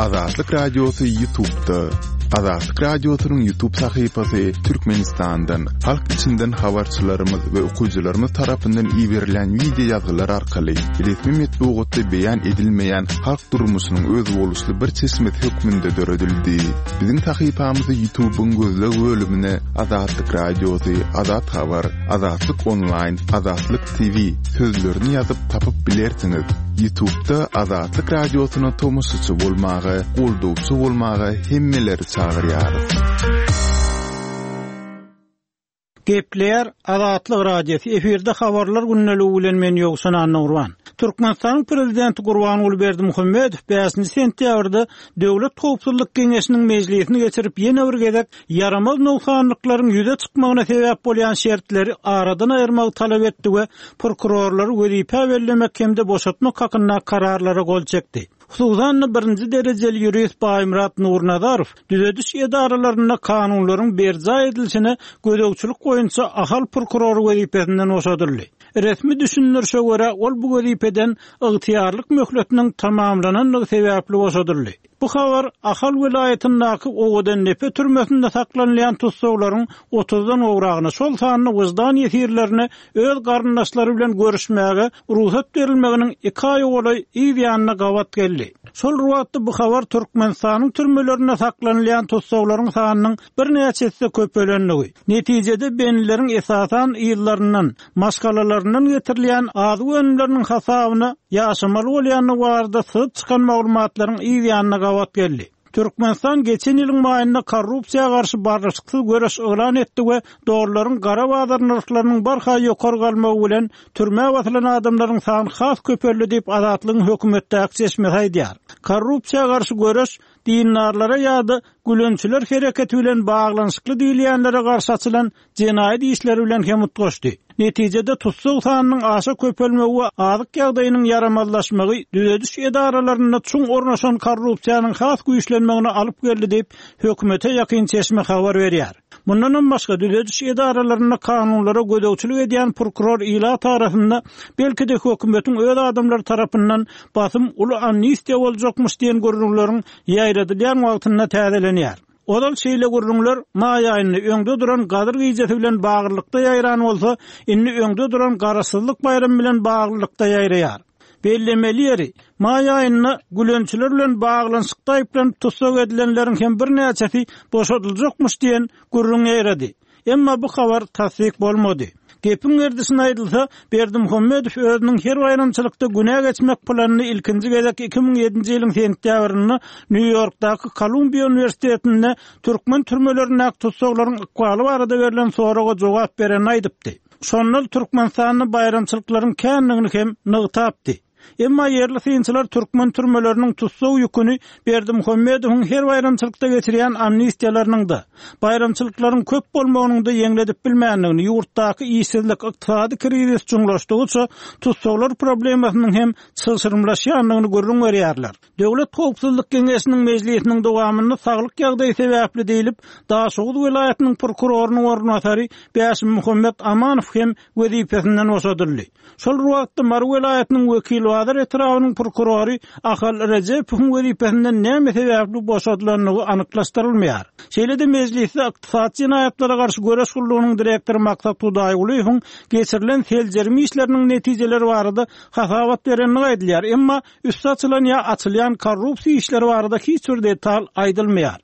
Azatlyk Radiosy Ýutubda. Azatlyk Radiosynyň Ýutub sahypasy Türkmenistandan, halk içinden habarçylarymyz we okyjylarymyz tarapyndan iberilen wideo ýazgylar arkaly resmi metbugatda beýan edilmeýän halk durmuşynyň özboluşly bir çeşmesi hökmünde döredildi. Biziň sahypamyzy Ýutubyň gözleg bölümine Azatlyk Radiosy, Azat Habar, Azatlyk Onlaýn, Azatlyk TV sözlerini ýazyp tapyp bilersiňiz. Ýutubda Azatlyk Radiosyna tomaşaçy bolmaga, goldawçy bolmaga hemmeleri çagyrýarys. Gepleýär Azatlyk Radiosy, efirde Habarlar gündeligi bilen men Ýowşan Annagurban. Türkmenistanyň Prezidenti Gurbanguly Berdimuhamedow bäşinji sentýabrda Döwlet howpsuzlyk geňeşiniň mejlisini geçirip ýene bir gezek ýaramaz nogsanlyklaryň ýüze çykmagyna sebäp bolýan şertleri aradan aýyrmagy talap etdi we prokurorlary wezipä bellemek hem-de boşatmak hakynda kararlara gol çekdi. Hususan-da, birinji derejeli ýurist Baýmyrat Nurnazarow düzediş edaralarynda kanunlaryň berjaý edilişine gözegçilik boýunça Ahal prokurory wezipesinden boşadyldy. Resmi düşündirişe görä, ol bu wezipeden ygtyýarlyk möhletiniň tamamlanandygy sebäpli boşadyldy. Bu habar Ahal welaýatyndaky Owadandepe türmesinde saklanylýan tussaglaryň otuzdan gowragyna, şol sanda wyždan ýesirlerine öz garyndaşlary bilen görüşmäge rugsat berilmeginiň iki aýa golaý yz ýanyna gabat geldi. Şol bir wagtda bu habar Türkmenistanyň türmelerinde saklanylýan tussaglaryň sanynyň birnäçe esse köpelendigi, netijede bendileriň esasan yzlaryndan, maşgalalaryndan getirilýän azyk önümleriniň hasabyna ýaşamaly bolýandygy barada syzyp çykan maglumatlaryň yz ýanyna gabat geldi. Türkmenistan geçen ýylyň maýynda korrupsiýa garşy barlyşyksyz göreş yglan etdi we dollaryň gara bazar nyrhlarynyň barha ýokary galmagy bilen türmä basylan adamlaryň sany has köpeldi diýip, Azatlygyň hökümetdäki çeşmesi aýdýar. Korrupsiýa garşy göreş dindarlara ýa-da gülençiler hereketi bilen baglanyşykly diýilýänlere garşy açylan jenaýat işleri bilen hem utgaşdy. Netijede tussag sanynyň aşa köpelmegi we azyk ýagdaýynyň ýaramazlaşmagy düzediş edaralarynda çuň ornaşan korrupsiýanyň has güýçlenmegine alyp geldi diýip, hökümete ýakyn çeşme habar berýär. Mundanam başga, düzediş edaralarynda kanunlara gözegçilik edýän prokuror ilat arasynda, belki-de hökümetiň öz adamlary tarapyndan basym uly amnistiýa boljakmyş diýen gürrüňleriň ýaýradylýan wagtynda täzelenýär. Ozal şeýle gürrüňler maý aýynda öňde duran Gadyr gijesi bilen baglylykda ýaýran bolsa, indi öňde duran Garaşsyzlyk baýramy bilen baglylykda ýaýraýar. Bellemeli ýeri, maý aýynda gülençiler bilen baglanyşykda aýyplanyp tussag edilenleriň hem birnäçesi boşadyljakmyş diýen gürrüň ýaýrady. Emma bu habar tassyk bolmady. Gepiň gerdişine aýdylsa, Berdimuhamedow özüniň her baýramçylykda günä geçmek planyny ilkinji gezek 2007-nji ýylyň sentýabrynda Nýu-Ýorkdaky Kolumbiýa uniwersitetinde türkmen türmelerindäki tussaglaryň ykbaly barada berlen soraga jogap berende aýdypdy. Şonda ol Türkmenistanda baýramçylyklaryň kändigini hem nygtapdy. Emma ýerli synçylar türkmen türmeleriniň tussag ýüküni Berdimuhamedowyň her baýramçylykda geçirýän amnistiýalarynyň-da, baýramçylyklaryň köp bolmagynyň-da ýeňledip bilmändigini, ýurtdaky işsizlik, ykdysady krizis çuňlaşdygyça tussaglar problemasynyň hem çylşyrymlaşýandygyny gürrüň berýärler. Döwlet howpsuzlyk geňeşiniň mejlisiniň dowamynda saglyk ýagdaýy sebäpli diýlip, Daşoguz welaýatynyň prokurorynyň orunbasary Bäşimmuhammet Amanow hem wezipesinden boşadyldy. Şol bir wagtda, Mary welaýatynyň Wekilbazar etrabynyň prokurory Ahal Rejepowyň wezipesinden näme sebäpli boşadylandygy anyklaşdyrylmaýar. Şeýle-de mejlisde Ykdysady jenaýatlara garşy göreş gullugynyň direktory Maksat Hudaýgulyýewiň geçirilen seljerme işleriniň netijeleri barada hasabat berendigi aýdylýar, emma üsti açylan ýa açylýan korrupsiýa işleri barada hiç bir detal aýdylmaýar.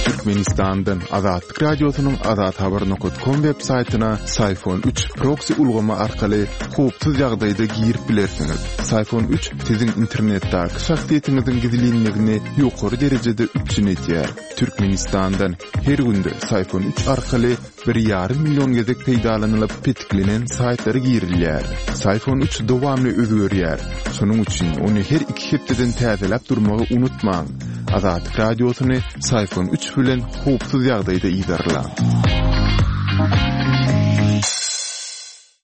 Türkmenistandan Azatlyk Radiosynyň Azathabar nokat kom web saýtyna Syfon 3 proksi ulgamy arkaly howpsuz ýagdaýda girip bilersiňiz. Syfon 3 siziň internetdäki şahsyýetiňiziň gizlinligini ýokary derejede üpjün edýär. Türkmenistandan her günde Syfon 3 arkaly Bir ýarym million gezek peýdalanylyp petiklenen saýtlara girilýär. Syfon 3 dowamly özgerýär. Şonuň üçin ony her iki hepdeden täzeläp durmagy unutmaň. Azatlyk Radiosyny Syfon 3 bilen howpsuz ýagdaýda yzarlaň.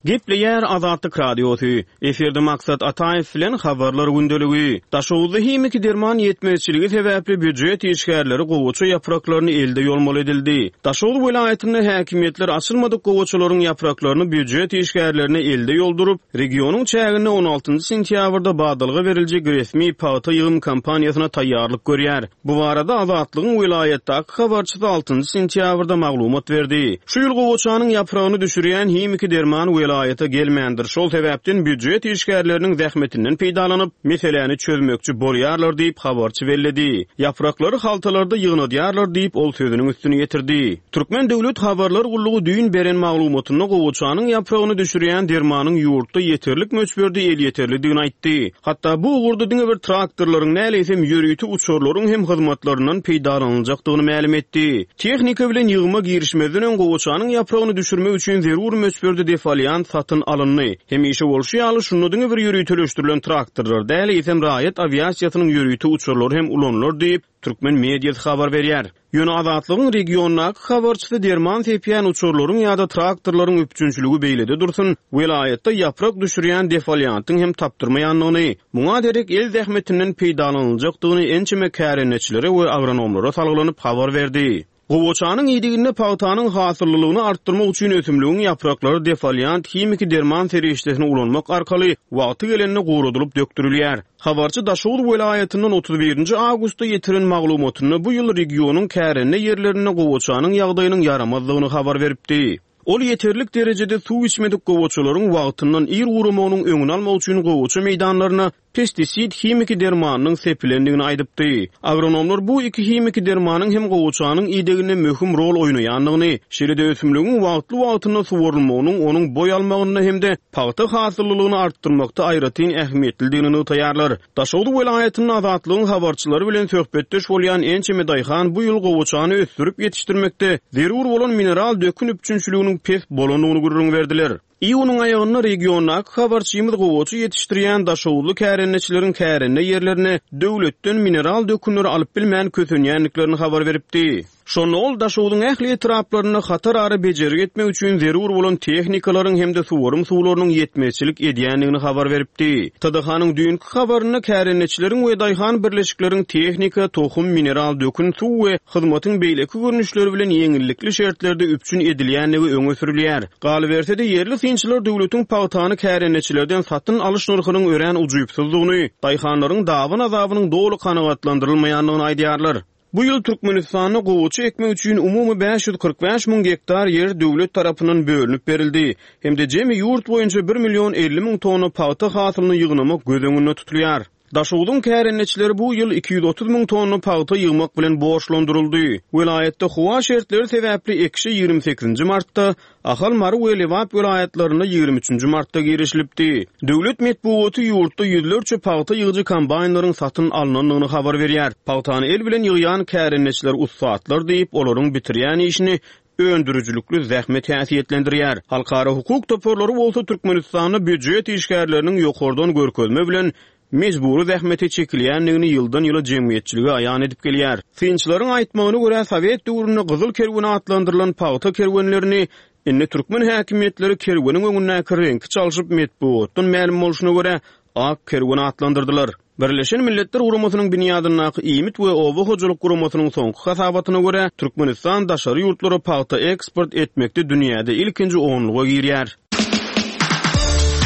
Gepleýär Azatlyk Radiosy, Efirde Maksat Ataýew bilen Habarlar gündeligi. Daşoguzda himiki derman ýetmezçiligi sebäpli býujet işgärleri gowaça ýapraklaryny elde ýolmaly edildi. Daşoguz welaýatynda häkimiýetler açylmadyk gowaçalaryň ýapraklaryny býujet işgärlerine elde ýolduryp, regionyň çäginde on altynjy sentýabrda badalga beriljek resmi pagta ýygym kampaniýasyna taýýarlyk görýär. Bu barada Azatlygyň welaýatdaky habarçysy altynjy sentýabrda maglumat berdi. Şu ýyl gowaçanyň ýapragyny düşürýän himiki derman welaýata gelmändir, şol sebäpden býujet işgärleriniň zähmetinden peýdalanyp, meseläni çözmekçi bolýarlar diýip, habarçy belledi. Ýapraklary haltalarda ýygnadýarlar diýip, ol sözüniň üstüni ýetirdi. Türkmen döwlet habarlar gullugy düýn beren maglumatynda gowaçanyň ýapragyny düşürýän dermanyň ýurtda ýeterlik möçberde elýeterlidigini aýtdy. Hatda bu ugurda diňe bir traktorlaryň däl, eýsem ýörite uçarlaryň hem hyzmatlaryndan peýdalanyljakdygyny mälim etdi. Tehnika bilen ýygyma girişmezden öň gowaçanyň ýapragyny düşürmek üçin zerur möçberde defoliant satyn alyndy. Hemişe bolşy ýaly, şunda diňe bir ýöriteleşdirilen traktorlar däl, eýsem raýat awiasiýasynyň ýörite uçarlary hem ulanylar diýip, Türkmen mediasy habar berýär. Ýöne Azatlygyň regiondaky habarçysy derman sepýän uçarlaryň ýa-da traktorlaryň üpjünçiligi beýlede dursun, welaýatda ýaprak düşürýän defoliantyň hem tapdyrmaýandygyny, muňa derek el zähmetinden peýdalanyljakdygyny ençeme kärendeçilere we agronomlara salgylanyp habar berdi. Gowaçanyň ideginde pagtanyň hasyllylygyny artdyrmak üçin ösümligiň ýapraklary defoliant himiki derman serişdesini ulanmak arkaly wagty gelende guradylyp dökdürilýär. Habarçy Daşoguz welaýatyndan 31 nji awgustda ýetiren maglumatynda bu ýyl regionyň kärende ýerlerinde gowaçanyň ýagdaýynyň ýaramazdygyny habar beripdi. Ol ýeterlik derejede suw içmedik gowaçalaryň wagtyndan ir guramagynyň öňüni almak üçin gowaça meýdanlaryna pestisid himiki dermanynyň sepilendigini aýdypdy. Agronomlar bu iki himiki dermanyň hem gowaçanyň ideginde möhüm rol oýnaýandygyny, şeýle-de ösümligiň wagtly-wagtynda suwarylmagynyň onuň boý almagynda hem-de pagta hasyllylygyny artdyrmakda aýratyn ähmiýetlidigini nygtaýarlar. Daşoguz welaýatynda Azatlygyň habarçylary bilen söhbetdeş bolýan ençeme daýhan bu ýyl gowaçany ösdürip ýetişdirmekde zerur bolan mineral dökün üpjünçiliginiň pes bolandygyny gürrüň berdiler. Iýunyň aýagynda regiondaky habarçymyz gowaça ýetişdirýän daşoguzly kärendeçileriň kärende ýerlerine döwletden mineral dökünleri alyp bilmän kösenýändiklerini habar beripdi. Şonda ol Daşogzuň ähli etraplarynda hatarara bejergi etmek üçin zerur bolan tehnikalaryň hem-de suwarym suwlarynyň ýetmezçilik edýändigini habar beripdi. TDH-nyň düýnki habarynda kärendeçileriň we daýhan birleşikleriň tehnika, tohum, mineral dökün, suw we hyzmatyň beýleki görnüşleri bilen ýeňillikli şertlerde üpjün edilýändigi öňe sürülýär. Galyberse-de, ýerli synçylar döwletiň pagtany kärendeçilerden satyn alyş nyrhynyň örän ujypsyzdygyny, daýhanlaryň daban-azabynyň doly kanagatlandyrylmaýandygyny aýdýarlar. Bu ýyl Türkmenistanda gowaça ekmek üçin umumy 545 müň gektar ýer döwlet tarapyndan bölünip berildi hem-de jemi ýurt boýunça bir million 50 müň tonna pagta hasylyny ýygnamak göz öňünde tutulýar. Daşogzuň kärendeçileri bu ýyl 230 müň tonna pagta ýygmak bilen borçlandyryldy. Welaýatda howa şertleri sebäpli ekişe 28-nji martda, Ahal, Mary we Lebap welaýatlarynda 23-nji martda girişilipdi. Döwlet metbugaty ýurtda ýüzlerçe pagta ýygyjy kombaýnlaryň satyn alnandygyny habar berýär. Pagtany el bilen ýygýan kärendeçiler ussatlar diýip, olaryň bitirýän işini öndürijilikli zähmet häsiýetlendirýär. Halkara hukuk toparlary bolsa Türkmenistanda býujet işgärleriniň ýokardan görkezme bilen mejbury zähmete çekilýändigini ýyldan-ýyla jemgyýetçilige aýan edip gelýär. Synçylaryň aýtmagyna görä, sowet döwründe Gyzyl kerwen atlandyrylan pagta kerwenlerini indi türkmen häkimiýetleri kerweniň öňündäki reňki çalşyp, metbugatdan mälim bolşuna görä, Ak kerwen atlandyrdylar. Birleşen Milletler Guramasynyň binýadyndaky Iýmit we oba hojalyk guramasynyň soňky hasabatyna görä, Türkmenistan daşary ýurtlara pagta eksport etmekde dünýäde ilkinji onluga girýär.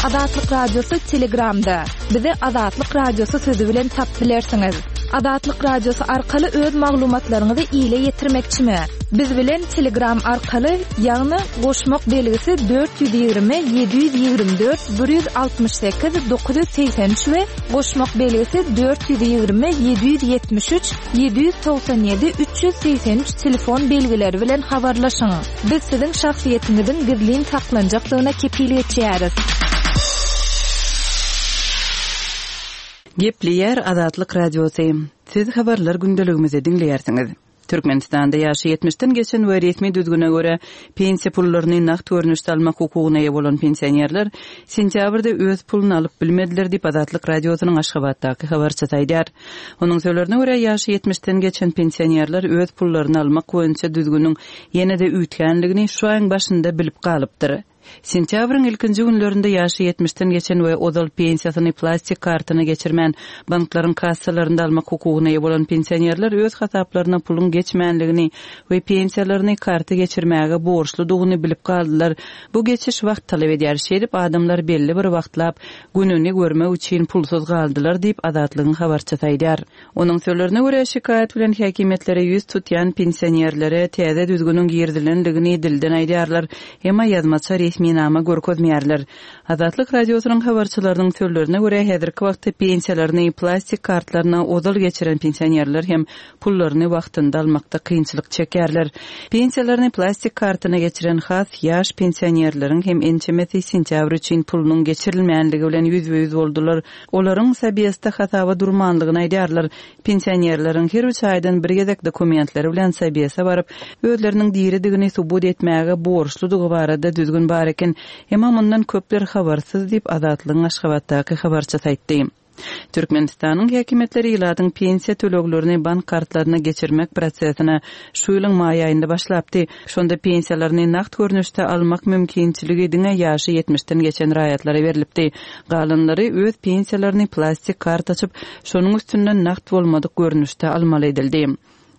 Azatlyk Radiosy Telegramda. Bizi Azatlyk Radiosy sözi bilen tapyp bilersiňiz. Azatlyk Radiosy arkaly öz maglumatlaryňyzy ile ýetirmekçimi? Biz bilen Telegram arkaly, ýagny goşmak belgisi 420 724 168 983 we goşmak belgisi 420 773 797 383 telefon belgileri bilen habarlaşyň. Biz siziň şahsyýetiňiziň gizlin saklanjakdygyna kepil geçýäris. Gepleýär Azatlyk Radiosy. Siz habarlar gündeligimizi diňleýärsiňiz. Türkmenistanda ýaşy ýetmişden geçen we resmi düzgüne görä pensiýa pullaryny nagt görnüşde almak hukugyna eýe bolan pensionerler sentýabrda öz puluny alyp bilmediler diýip, Azatlyk Radiosynyň Aşgabatdaky habarçysy aýdýar. Onuň sözlerine görä, ýaşy ýetmişden geçen pensionerler öz pullaryny almak boýunça düzgüniň ýene-de üýtgänligini şu aýyň başynda bilip galypdyr. Sentýabryň ilkinji günlerinde ýaşy ýetmişden geçen we ozal pensiýasyny plastik kartyna geçirmän, banklaryň kassalarynda almak hukugyna eýe bolan pensionerler öz hasaplaryna puluň geçmänligini we pensiýalaryny karta geçirmäge borçludygyny bilip galdylar. Bu geçiş wagt talap edýär. Şeýdip, adamlar belli bir wagtlap gününi görmek üçin pulsuz galdylar diýip, Azatlygyň habarçysy aýdýar. Onuň sözlerine görä, şikaýat bilen häkimiýetlere ýüz tutýan pensionerlere täze düzgüniň girizilendigini dilden aýdýarlar, emma ýazmaça resminama görkezmeýärler. Azatlyk Radiosynyň habarçylarynyň sözlerine görä, häzirki wagtda pensiýalaryny plastik kartlaryna ozal geçiren pensionerler hem pullaryny wagtynda almakda kynçylyk çekýärler. Pensiýalaryny plastik kartyna geçiren has ýaş pensionerleriň hem ençemesi sentýabr üçin pulunyň geçirilmänligi bilen ýüzbe-ýüz boldular. Olaryň Sobesde hasaba durmanlygyny aýdýarlar. Pensionerleriň her üç aýdan bir gezek dokumentleri bilen Sobese baryp, özleriniň diridigini subut etmäge borçludygy barada düzgün bar eken. Emma mundan köpler habarsyz diýip, Azatlygyň Aşgabatdaky habarçysy aýtdy. Türkmenistanyň häkimiýetleri ilatyň pensiýa töleglerini bank kartlaryna geçirmek prosesine şu ýylyň maý aýynda başlapdy. Şonda pensiýalaryny nagt görnüşde almak mümkinçiligi diňe ýaşy ýetmişden geçen raýatlara berlipdi. Galanlary öz pensiýalaryny plastik kart açyp, şonuň üstünden nagt bolmadyk görnüşde almaly edildi.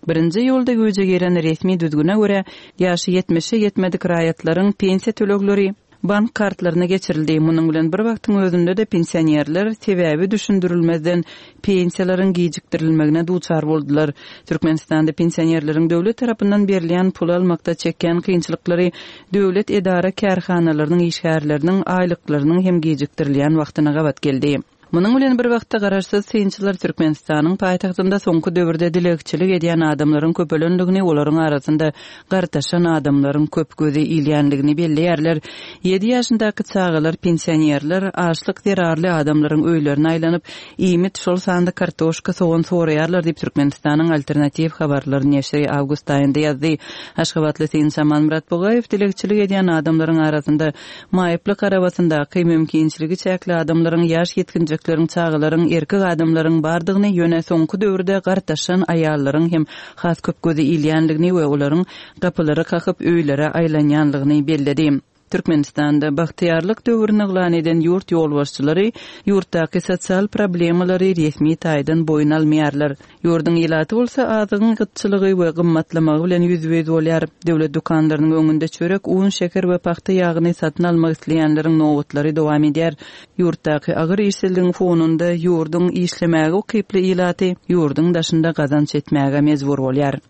Birinji iýulda güýje giren resmi düzgüne görä, ýaşy ýetmişe ýetmedik raýatlaryň pensiýa tölegleri bank kartlaryna geçirildi. Munuň bilen bir wagtyň özünde-de pensionerler sebäbi düşündirilmezden pensiýalaryň gijikdirilmegine duçar boldular. Türkmenistanda pensionerleriň döwlet tarapyndan berilýän puly almakda çekýän kynçylyklary döwlet edara-kärhanalarynyň işgärleriniň aýlyklarynyň hem gijikdirilýän wagtyna gabat geldi. Munuň bilen bir wagtda, garaşsyz synçylar Türkmenistanyň paýtagtynda soňky döwürde dilegçilik edýän adamlaryň köpelendigini, olaryň arasynda gartaşan adamlaryň köp göze ilýändigini belleýärler. Ýedi ýaşyndaky çagalar, pensionerler açlyk zerarly adamlaryň öýlerine aýlanyp, iýmit, şol sanda kartoşka, sogan soraýarlar diýip, Türkmenistanyň Alternatiw habarlar neşiri awgust aýynda ýazdy. Aşgabatly synçy Amanmyrat Bugaýew dilegçilik edýän adamlaryň arasynda Maýyplyk arabasyndaky mümkinçiligi çäkli adamlaryň, ýaş ýetginjekleriň, çagalaryň, erkek adamlaryň bardygyny, ýöne soňky döwürde gartaşan aýallaryň hem has köp göze ilýändigini we olaryň gapylary kakyp öýlere aýlanýanlygyny belledi. Türkmenistanda bagtyýarlyk döwrüni yglan eden ýurt ýolbaşçylary ýurtdaky sosial problemalary resmi taýdan boýun almaýarlar. Ýurduň ilaty bolsa azygyň gytçylygy we gymmatlamagy bilen ýüzbe-ýüz bolýar. Döwlet dükanlarynyň öňünde çörek, un, şeker we pagta ýagyny satyn almak isleýänleriň nobatlary dowam edýär. Ýurtdaky agyr işsizligiň fonunda ýurduň işlemäge ukyply ilaty ýurduň daşynda gazanç etmäge mejbur bolýar.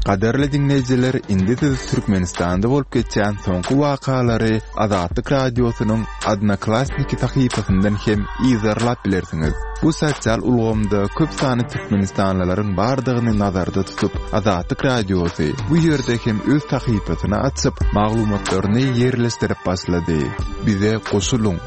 Gadyrly diňleýjiler, indi siz Türkmenistanda bolup geçýän soňky wakalary Azatlyk Radiosynyň Odnoklassniki sahypasyndan hem yzarlap bilersiňiz. Bu sosial ulgamda köp sanly türkmenistanlylaryň bardygyny nazarda tutup, Azatlyk Radiosy bu ýerde hem öz sahypasyny açyp, maglumatlaryny ýerleşdirip başlady. Bize goşulyň!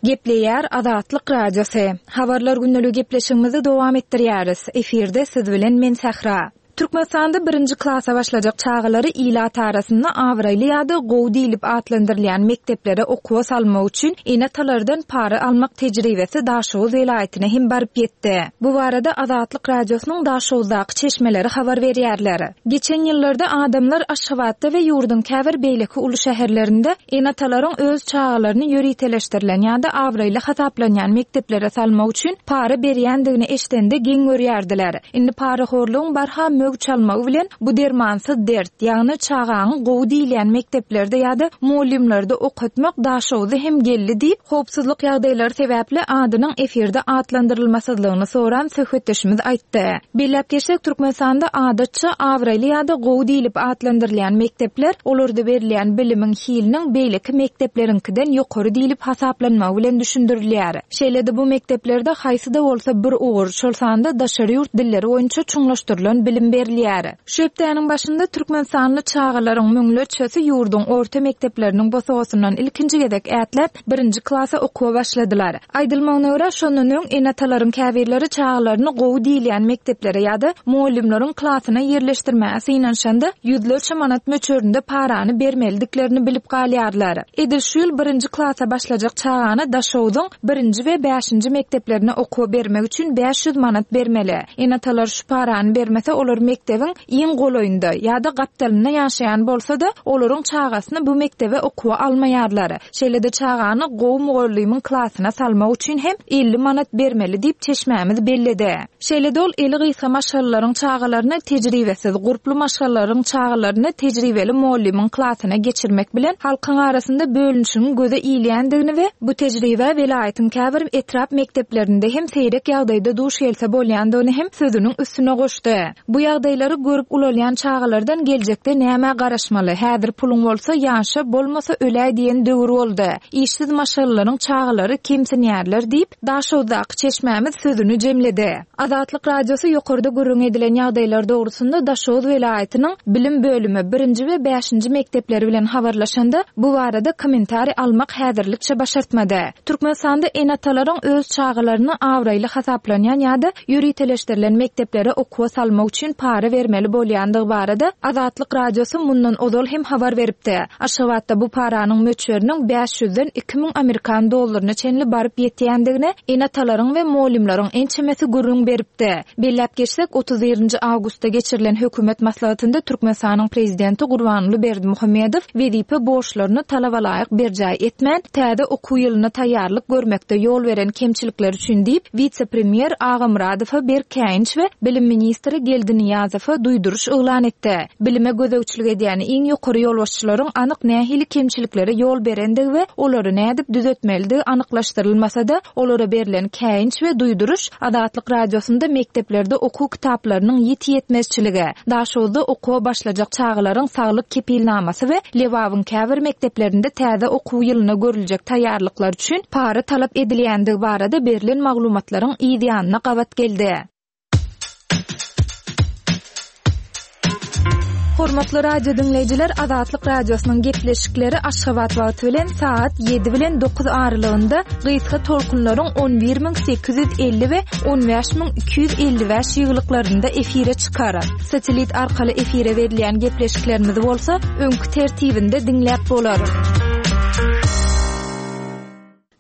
Gepleýär Azatlyk Radiosy. Habarlar gündeligi gepleşigimizi dowam etdirýäris. Efirde siz bilen men Sähra. Türkmenistanda birinji klasa başlajak çagalary ilat arasynda abraýly ýa-da gowy diýlip atlandyrylýan mekdeplere okuwa salmak üçin ene-atalardan para almak tejribesi Daşoguz welaýatyna hem baryp ýetdi. Bu barada Azatlyk Radiosynyň Daşoguzdaky çeşmeleri habar berýärler. Geçen ýyllarda adamlar Aşgabatda we ýurduň käbir beýleki uly şäherlerinde ene-atalaryň öz çagalaryny ýöriteleşdirilen ýa-da abraýly hasaplanýan mekdeplere salmak üçin para berýändigini eşidende geň görýärdiler. Indi parahorlugyň barha möwç almagy bilen bu dermansyz dert, ýagny çagaňy gowy diýilýän mekdeplerde ýa-da mugallymlarda okatmak Daşoguza hem geldi diýip, howpsuzlyk ýagdaýlary sebäpli adynyň efirde atlandyrylmasyzlygyny soran söhbetdeşimiz aýtdy. Belläp geçsek, Türkmenistanda adatça abraýly ýa-da gowy diýlip atlandyrylýan mekdepler, olarda berilýän bilimiň hiliniň beýleki mekdepleriňkiden ýokary diýlip hasaplanmagy bilen düşündirilýär. Şeýle-de bu mekdeplerde haýsy-da bolsa bir ugur, şol sanda daşary ýurt dilleri boýunça çuňlaşdyrylan bilim berilýär. berilýär. Şu hepdäniň başynda türkmenistanly çagalaryň müňlerçesi ýurduň orta mekdepleriniň bosagasyndan ilkinji gezek ätläp, birinji klasa okuwa başladylar. Aýdylmagyna görä, şondan öň ene-atalaryň käbirleri çagalaryny gowy diýilýän mekdeplere ýa-da mugallymlaryň klasyna ýerleşdirmäge synanyşanda, ýüzlerçe manat möçberinde parany bermelidiklerini bilip galýarlar. Edil şu ýyl birinji klasa başlajak çagany Daşogzuň birinji we bäşinji mekdeplerine okuwa bermek üçin 500 manat bermeli. Ene-atalar şu parany bermese, olar mekdebiň iň golaýynda ýa-da gapdalynda ýaşaýan bolsa-da, olaryň çagasyny bu mekdebe okuwa almaýarlar. Şeýle-de çagany gowy mugallymyň klasyna salmak üçin hem 50 manat bermeli diýip, çeşmämiz belledi. Şeýle-de ol eli gysga maşgalalaryň çagalaryny tejribesiz, gurply maşgalalaryň çagalaryny tejribeli mugallymyň klasyna geçirmek bilen halkyň arasynda bölünişigiň göze ilýändigini we bu tejribä welaýatyň käbir etrap mekdeplerinde hem seýrek ýagdaýda duş gelse bolýandygyny hem sözüniň üstüne goşdy. Bu ýagdaýlary görüp ulalýan çagalardan geljekde nämä garaşmaly, häzir puluň bolsa ýaşa, bolmasa öläý diýen döwür boldy. Işsiz maşgalalaryň çagalary kemsinýärler diýip, Daşoguzdaky çeşmämiz sözüni jemledi. Azatlyk Radiosy ýokarda gürrüň edilen ýagdaýlar dogrusynda Daşoguz welaýatynyň bilim bölümi, birinji we bäşinji mekdepleri bilen habarlaşanda, bu barada kommentariý almak häzirlikçe başartmady. Türkmenistanda ene-atalaryň öz çagalaryny abraýly hasaplanýan ýa-da ýöriteleşdirilen mekdeplere okuwa salmak üçin para bermeli bolýandygy barada Azatlyk Radiosy mundan ozal hem habar beripdi. Aşgabatda bu paranyň möçberiniň bäş ýüzden 2000 amerikan dollaryna çenli baryp ýetýändigini ene-atalaryň we mugallymlaryň ençemesi gürrüň beripdi. Belläp geçsek, otuz birinji awgustda geçirilen hökümet maslahatynda Türkmenistanyň Prezidenti Gurbanguly Berdimuhamedow wezipe borçlaryny talabalaýyk berjaý etmän, täze okuw ýylyna taýýarlyk görmekde ýol beren kemçilikleri üçin diýip, wise-premýer Agamyradowa berk käýinç we bilim ministri Geldi Nyýazowa duýduryş yglan etdi. Bilime gözegçilik edýän iň ýokary ýolbaşçylaryň anyk nähili kemçiliklere ýol berendigi we olary nädip düzetmelidigi anyklaşdyrylmasa-da, olara berlen käýinç we duýduryş Azatlyk Radiosynda mekdeplerde okuw kitaplarynyň ýiti ýetmezçiligi, Daşoguzda okuwa başlajak çagalaryň saglyk kepilnamasy we Lebabyň käbir mekdeplerinde täze okuw ýylyna görüljek taýýarlyklar üçin para talap edilýändigi barada berlen maglumatlaryň yz ýanyna gabat geldi. Hormatly radio diňleýjiler, Azatlyk Radiosynyň gepleşikleri Aşgabat wagty bilen sagat 7 bilen 9 aralygynda gysga tolkunlaryň 11850 we 15255 ýygylyklarynda efire çykar. Satellit arkaly efire berilýän gepleşiklerimizi bolsa öňki tertibinde diňläp bolar.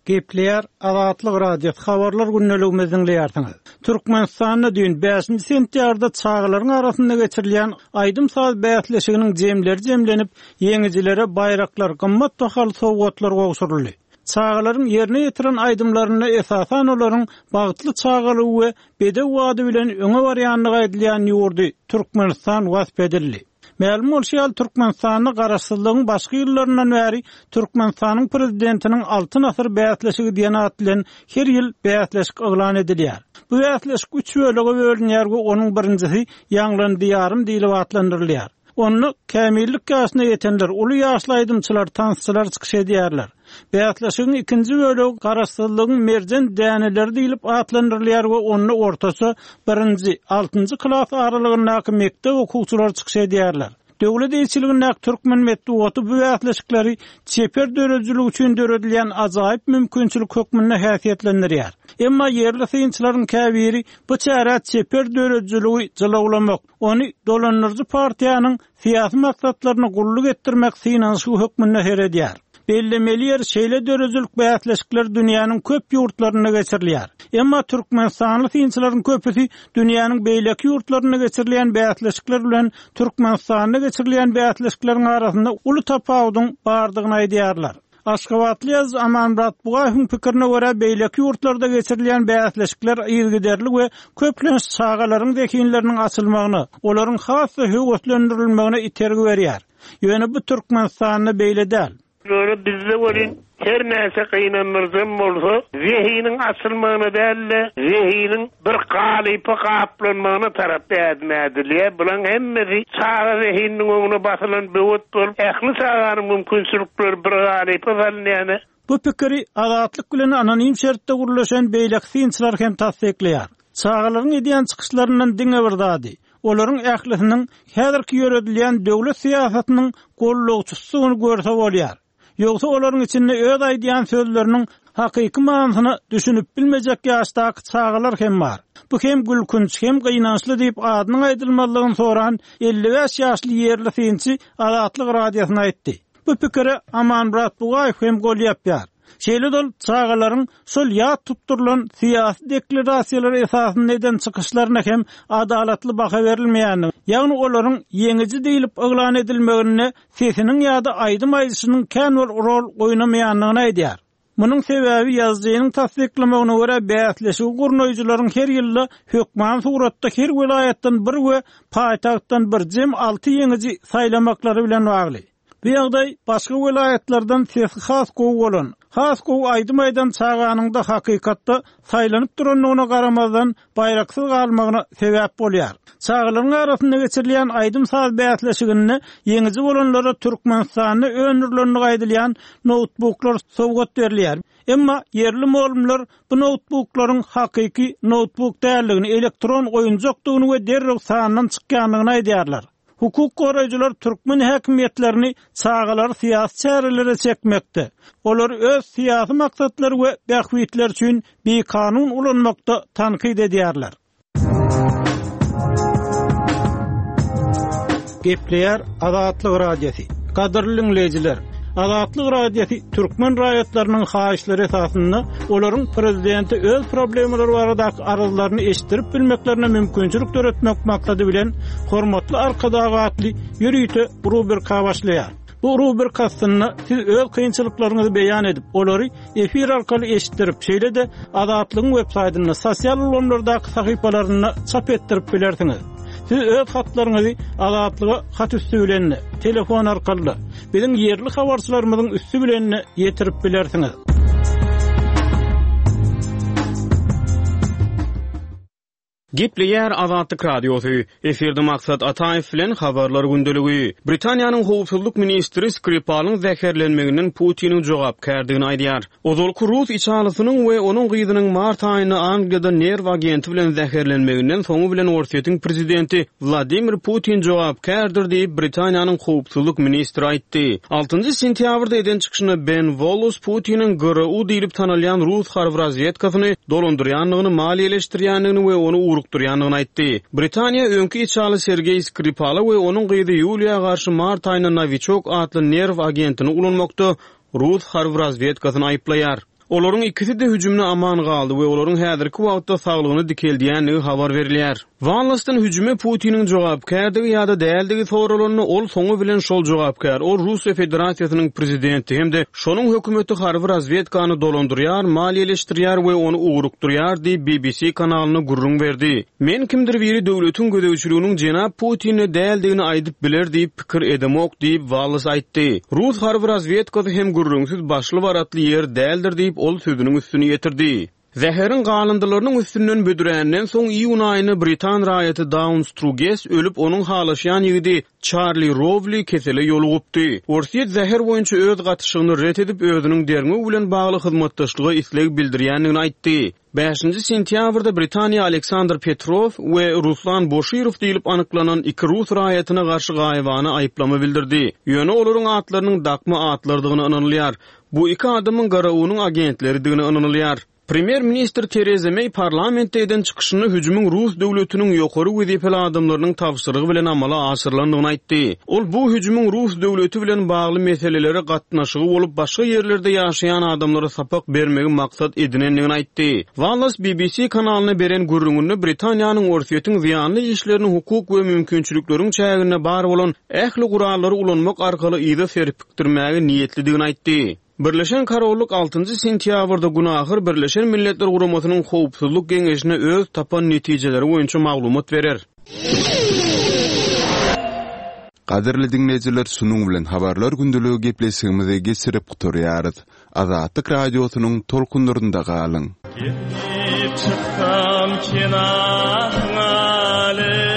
Gepleýär Azatlyk Radiosy habarlar gündeligimizi diňleýärsiňiz. Türkmenistanda düýn bäşinji sentýabrda çagalaryň arasynda geçirilýän aýdym-saz bäsleşiginiň jemleri jemlenip, ýeňijilere baýraklar, gymmat bahaly sowgatlar gowşuryldy. Çagalaryň ýerine ýetiren aýdymlarynda esasan olaryň bagtly çagalygy we bedew bady bilen öňe barýandygy aýdylýan ýurdy Türkmenistan wasp edildi. Mälim bolşy ýaly, Türkmenistanda Garaşsyzlygyň başky ýyllaryndan bäri Türkmenistanyň Prezidentiniň Altyn asyr bäsleşigi diýen at bilen her ýyl bäsleşik yglan edilýär. Bu bäsleşik üç bölege bölünýär we onuň birinjisi Ýaňlan Diýarym diýlip atlandyrylýar. Onda kämillik ýaşyna ýetenler, uly ýaşly aýdymçylar, tansçylar çykyş edýärler. Bäsleşigiň ikinji bölegi Garaşsyzlygyň merjen däneleri diýlip atlandyrylýar we onda ortaça birinji, altynjy klas aralygyndaky mekdep okuwçylary çykyş edýärler. Döwlet eýeçiligindäki türkmen metbugaty bu bäsleşikleri çeper döredijilik üçin döredilýän ajaýyp mümkinçilik hökmünde häsiýetlendirýär. Emma ýerli synçylaryň käbiri bu çärä çeper döredijiligi jylawlamak, ony dolandyryjy partiýanyň syýasy maksatlaryna gulluk etdirmek synanyşygy hökmünde seredýär. Bellemeli ýeri, şeýle döredijilik bäsleşikleri dünýäniň köp ýurtlarynda geçirilýär. Emma türkmenistanly synçylaryň köpüsi dünýäniň beýleki ýurtlarynda geçirilýän bäsleşikler bilen Türkmenistanda geçirilýän bäsleşikleriň arasynda uly tapawudyň bardygyny aýdýarlar. Aşgabatly ýazyjy Amanmyrat Bugaýewiň pikirine görä, beýleki ýurtlarda geçirilýän bäsleşikler yzygiderli we köplenç çagalaryň zehinleriniň açylmagyna, olaryň has-da höweslendirilmegine itergi berýär. Ýöne bu Türkmenistanda beýle däl. Ýöne bizde welin her näçe gynandyryjam bolsa, zehiniň açylmagyna däl-de, zehiniň bir galypa gaplanmagyna tarap ädim ädilýär. Bulaň hemmesi çaga zehininiň öňüne basylan böwet bolup, ähli çaganyň mümkinçilikleri bir galypa salynýar. Bu pikiri Azatlyk bilen anonim şertde gürleşen beýleki synçylar hem tassyklaýar. Çagalaryň edýän çykyşlaryndan diňe bir zady, Olaryň ählisiniň häzirki ýöredilýän döwlet syýasatynyň gollagçysydygyny görse bolýar. Ýogsa olaryň içinde öz aýdýan sözleriniň hakyky manysyna düşünip bilmejek ýaşdaky çagalar hem bar. Bu hem gülkünç, hem gynançly diýip adynyň aýdylmazlygyny soran 55 ýaşly ýerli synçy Azatlyk Radiosyna aýtdy. Bu pikire Amanmyrat Bugaýew hem gol ýapýar. Şeýle-de ol çagalaryň şol ýat tutdurylan syýasy deklarasiýalar esasynda eden çykyşlaryna hem adalatly baha berilmeýändigini, ýagny olaryň ýeňiji diýlip yglan edilmeginde sesiniň ýa-da aýdym aýdyşynyň kän bir rol oýnamaýandygyny aýdýar. Munuň sebäbi ýazyjynyň tassyklamagyna görä bäsleşigi gurnaýjylaryň her ýylda hökmany suratda her welaýatdan bir we paýtagtdan bir jem alty ýeňiji saýlamaklary bilen bagly. Bu ýagdaý başga welaýatlardan sesi has gowy bolan, has gowy aýdym aýdan çaganyň-da hakykatda saýlanyp durandygyna garamazdan baýraksyz galmagyna sebäp bolýar. Çagalaryň arasynda geçirilýän aýdym-saz bäsleşiginde ýeňiji bolanlara Türkmenistanda öndürilendigi aýdylýan noutbuklar sowgat berilýär. Emma ýerli mugallymlar bu noutbuklaryň hakyky noutbuk däldigini, elektron oýunjakdygyny we derrew sandan çykýandygyny aýdýarlar. Hukuk goraýjylar türkmen häkimiýetlerini çagalary syýasy çärelere çekmekde, olary öz syýasy maksatlary we bähbitleri üçin bikanun ulanmakda tankyt edýärler. Gepleýär Azatlyk Radiosy. Gadyrly diňleýjiler! Azatlyk Radiosy türkmen raýatlarynyň haýyşlary esasynda olaryň prezidente öz problemalary baradaky arzlaryny eşitdirip bilmeklerine mümkinçilik döretmek maksady bilen Hormatly Arkadag atly ýörite rubrika başlaýar. Bu rubrika astynda siz öz kynçylyklaryňyzy beýan edip, olary efir arkaly eşitdirip, şeýle-de Azatlygyň web saýtynda, sosial ulgamlardaky sahypalarynda çap etdirip bilersiňiz. Siz öz hatlaryňyzy Azatlyga hat üsti bilen-de, telefon arkaly-da, biziň ýerli habarçylarymyzyň üsti bilen-de ýetirip bilersiňiz. Gepleýär Azatlyk Radiosy, Efirde Maksat Ataýew bilen Habarlar gündeligi. Britaniýanyň howpsuzlyk ministri Skripalyň zäherlenmeginden Putiniň jogapkärdigini aýdýar. Ozalky rus içalysynyň we onuň gyzynyň mart aýynda Angliýada nerw agenti bilen zäherlenmeginden soňy bilen Orsýetiň prezidenti Wladimir Putin jogapkärdir diýip, Britaniýanyň howpsuzlyk ministri aýtdy. Altynjy sentýabrda eden çykyşynda Ben Wollas Putiniň GRU diýlip tanalýan rus harby razwedkasyny dolandyrýandygyny, maliýeleşdirýändigini we ony ugrukdyrýandygyny aýtdy. Britaniýa öňki içaly Sergeý Skripala we onuň gyzy Ýuliýa garşy mart aýynda Nowiçok atly nerw agentini ulanmakda rus harby razwedkasyny aýyplaýar. Olaryň ikisi-de hüjümde aman galdy we olaryň häzirki wagtda saglygyny dikeldýändigi habar berilýär. Wallasdan hüjüme Putiniň jogapkärdigi ýa-da däldigi soralanda, ol soňy bilen şol jogapkär, ol Russiýa Federasiýasynyň prezidenti hem-de şonuň hökümeti harby razwedkany dolandyrýar, maliýeleşdirýär we ony ugrukdyrýar diýip, BBC kanalyna gürrüň berdi. Men kimdir biri döwletiň gözegçiliginiň jenap Putinde däldigini aýdyp biler diýip pikir edemok diýip, Wallas aýtdy. Rus harby razwedkasy hem gürrüňsiz başly-baratly ýer däldir diýip, ol sözüniň üstüni ýetirdi. Zäheriň galyndylarynyň üstünden büdränden soň iýun aýynda britan raýaty Daun Struges ölüp, onuň halaşýan ýigidi Çarli Rowli kesele ýolugypdy. Orsýet zäher boýunça öz gatyşygyny ret edip, özüniň derňew bilen bagly hyzmatdaşlyga isleg bildirýändigini aýtdy. Bäşinji sentýabrda Britaniýa Aleksandr Petrow we Ruslan Boşirow diýlip anyklanan iki rus raýatyna garşy gaýybana aýyplama bildirdi. Ýöne olaryň atlarynyň dakma atlardygyna ynanylýar. Bu iki adamyň GRU-nyň agentleridigine ynanylýar. Premýer-ministr Tereza Meý parlamentde eden çykyşynda hüjümiň rus döwletiniň ýokary wezipeli adamlarynyň tabşyrygy bilen amala aşyrylandygyny aýtdy. Ol bu hüjümiň rus döwleti bilen bagly meselelere gatnaşygy bolup, başga ýerlerde ýaşaýan adamlara sapak bermegi maksat edinendigini aýtdy. Wallas BBC kanalyna beren gürrüňinde Britaniýanyň Orsýetiň zyýanly işlerini hukuk we mümkinçilikleriň çäginde bar bolan ähli gurallary ulanmak arkaly yza serpikdirmäge niýetlidigini aýtdy. Birleşen Korollyk altynjy sentýabrda günahyr Birleşen Milletler Guramasynyň Howpsuzlyk Geňeşine öz tapan netijeleri boýunça maglumat berer. Gadyrly diňleýjiler şunuň bilen habarlar gündeligi gepleşigimizi geçirip gutarýarys. Azatlyk Radiosynyň tolkunlarynda galyň. Gelip çyksam kenaryňa.